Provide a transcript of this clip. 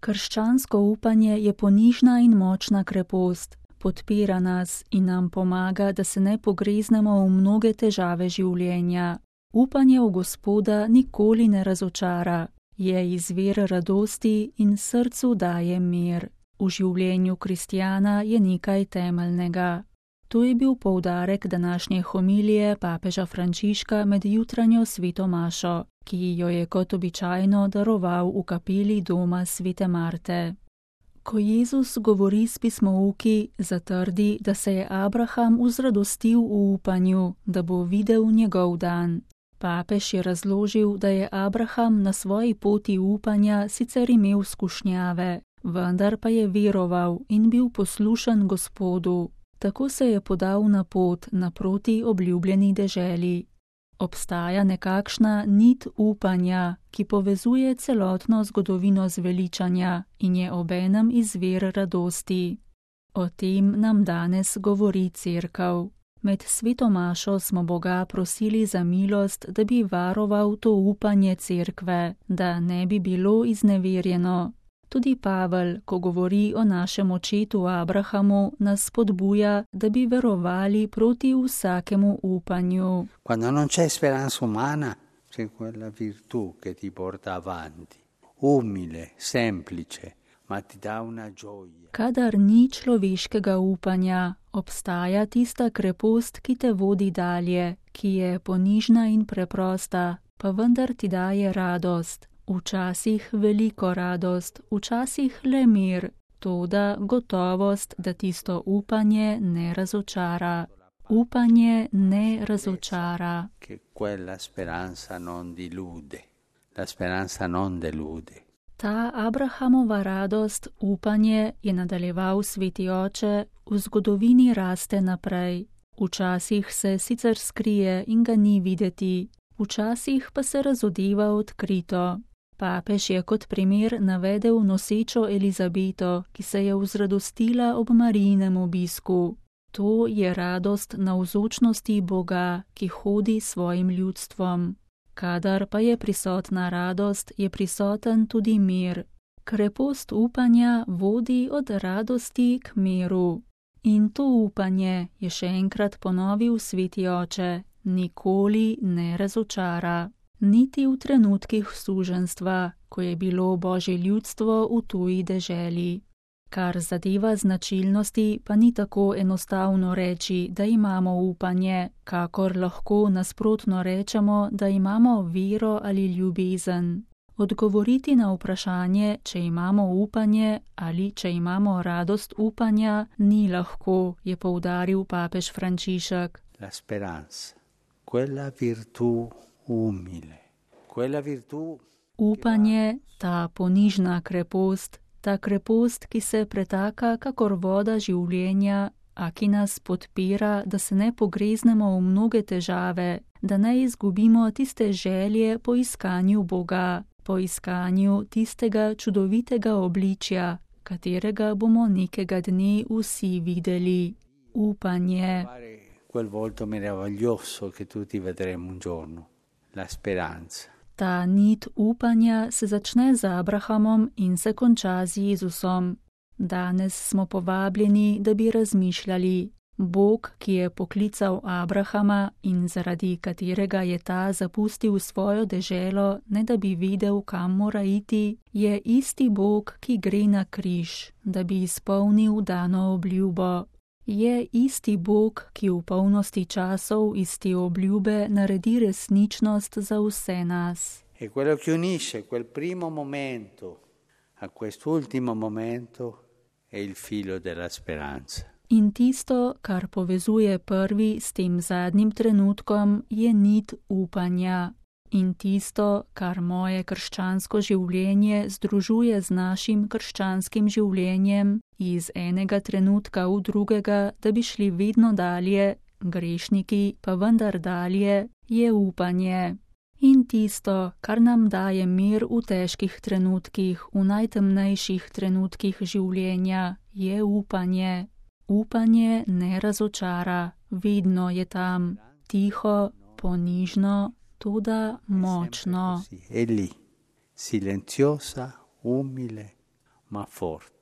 Krščansko upanje je ponižna in močna krepost, podpira nas in nam pomaga, da se ne pogreznemo v mnoge težave življenja. Upanje v Gospoda nikoli ne razočara, je izvir radosti in srcu daje mir. V življenju kristjana je nekaj temeljnega. To je bil poudarek današnje homilije papeža Frančiška med jutranjo sveto mašo, ki jo je kot običajno daroval v kapeli doma svete Marte. Ko Jezus govori s pismouki, zatrdi, da se je Abraham uzradostil v upanju, da bo videl njegov dan. Papež je razložil, da je Abraham na svoji poti upanja sicer imel skušnjave, vendar pa je veroval in bil poslušen Gospodu. Tako se je podal na pot naproti obljubljeni deželi. Obstaja nekakšna nit upanja, ki povezuje celotno zgodovino zveličanja in je obenem izvir radosti. O tem nam danes govori Cerkev. Med sveto mašo smo Boga prosili za milost, da bi varoval to upanje Cerkve, da ne bi bilo izneverjeno. Tudi Pavel, ko govori o našem očetu Abrahamu, nas spodbuja, da bi verovali proti vsakemu upanju. Quando non c'è speranza umana, c'è quella virtù che ti porta avanti, umile, semplice, ma ti dà una gioia. Kadar ni človeškega upanja, obstaja tista krepost, ki te vodi dalje, ki je ponižna in preprosta, pa vendar ti daje radost. Včasih veliko radost, včasih le mir, toda gotovost, da tisto upanje ne razočara. Upanje ne razočara. Che quella speranza non dilude. La speranza non delude. Ta Abrahamova radost, upanje, je nadaljeval sveti oče, v zgodovini raste naprej. Včasih se sicer skrije in ga ni videti, včasih pa se razodeva odkrito. Papež je kot primer navedel nosečo Elizabeto, ki se je vzradostila ob Marijinem obisku. To je radost navzočnosti Boga, ki hodi svojim ljudstvom. Kadar pa je prisotna radost, je prisoten tudi mir. Krepost upanja vodi od radosti k miru. In to upanje, je še enkrat ponovil sveti oče, nikoli ne razočara. Niti v trenutkih suženjstva, ko je bilo Božje ljudstvo v tuji deželi. Kar zadeva značilnosti, pa ni tako enostavno reči, da imamo upanje, kakor lahko nasprotno rečemo, da imamo vero ali ljubezen. Odgovoriti na vprašanje, če imamo upanje ali če imamo radost upanja, ni lahko, je poudaril papež Frančišek. La speranza, quella virtù umile, quella virtù. Upanje, ta ponižna krepost, ta krepost, ki se pretaka kakor voda življenja, a ki nas podpira, da se ne pogreznemo v mnoge težave, da ne izgubimo tiste želje po iskanju Boga, po iskanju tistega čudovitega obličja, katerega bomo nekega dne vsi videli. Upanje. Quel volto meraviglioso che tutti vedremo un giorno. La speranza. Ta nit upanja se začne z Abrahamom in se konča z Jezusom. Danes smo povabljeni, da bi razmišljali. Bog, ki je poklical Abrahama in zaradi katerega je ta zapustil svojo deželo, ne da bi vedel, kam mora iti, je isti Bog, ki gre na križ, da bi izpolnil dano obljubo. Je isti Bog, ki v polnosti časov iz te obljube naredi resničnost za vse nas. E quello che unisce quel primo momento a quest'ultimo momento è il filo della speranza. In tisto, kar povezuje prvi s tem zadnjim trenutkom, je nit upanja. In tisto, kar moje krščansko življenje združuje z našim krščanskim življenjem, iz enega trenutka v drugega, da bi šli vedno dalje, grešniki pa vendar dalje, je upanje. In tisto, kar nam daje mir v težkih trenutkih, v najtemnejših trenutkih življenja, je upanje. Upanje ne razočara, vedno je tam, tiho, ponižno, toda močno. È lì, silenziosa, umile, ma forte.